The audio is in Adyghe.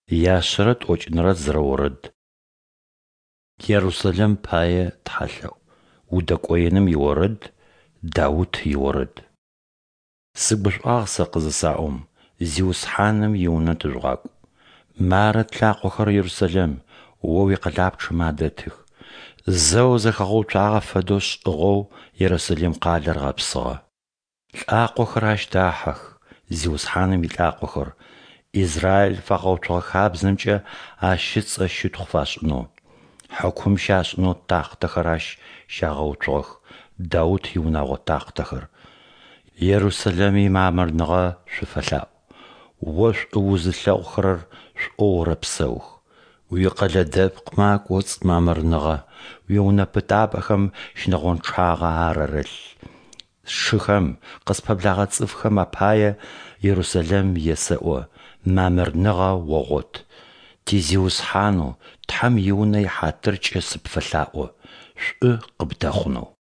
Яшъэрэ тӏокӏынэрэ зырэ орэд. Ерусэлэм пае тхьэлъэӏу. Удэкӏоеным иорэд, Даут иорэд. Сыгушӏуагъ сэ къызысаӏом, Зиусхьаным и Унэ тыжъугъакӏу. Мары тлъакъохэр Ерусэлэм, о уикъэлапчъэмэ адэтых. Зэу зэхэгъэуцуагъэ фэдэу шӏыгъэу Ерусэлэм къалэр гъэпсыгъэ. Лӏакъохэр ащ дахьэх, Зиусхьаным илӏакъохэр, Израиль фагъэуцугъэ хабзэмкӏэ Ащ ыцӏэ щытхъу фашӏынэу. Хьыкум щашӏынэу тахътэхэр ащ щагъэуцугъэх, Даут иунэгъо тахътэхэр. Ерусэлэм имамырныгъэ шъуфэлъаӏу. О шӏу узылъэгъухэрэр шӏоу орэпсэух. Уикъэлэ дэпкъмэ акӏоцӏ мамырныгъэ, уиунэ пытапӏэхэм щынэгъончъагъэ арэрэлъ. Сшыхэм, къыспэблэгъэ цӏыфхэм апае Ерусэлэм есэӏо: мамырныгъэ огъот. Ти Зиусхьанэу Тхьэм и Унэ ихьатыркӏэ сыпфэлъаӏо, шӏу къыбдэхъунэу.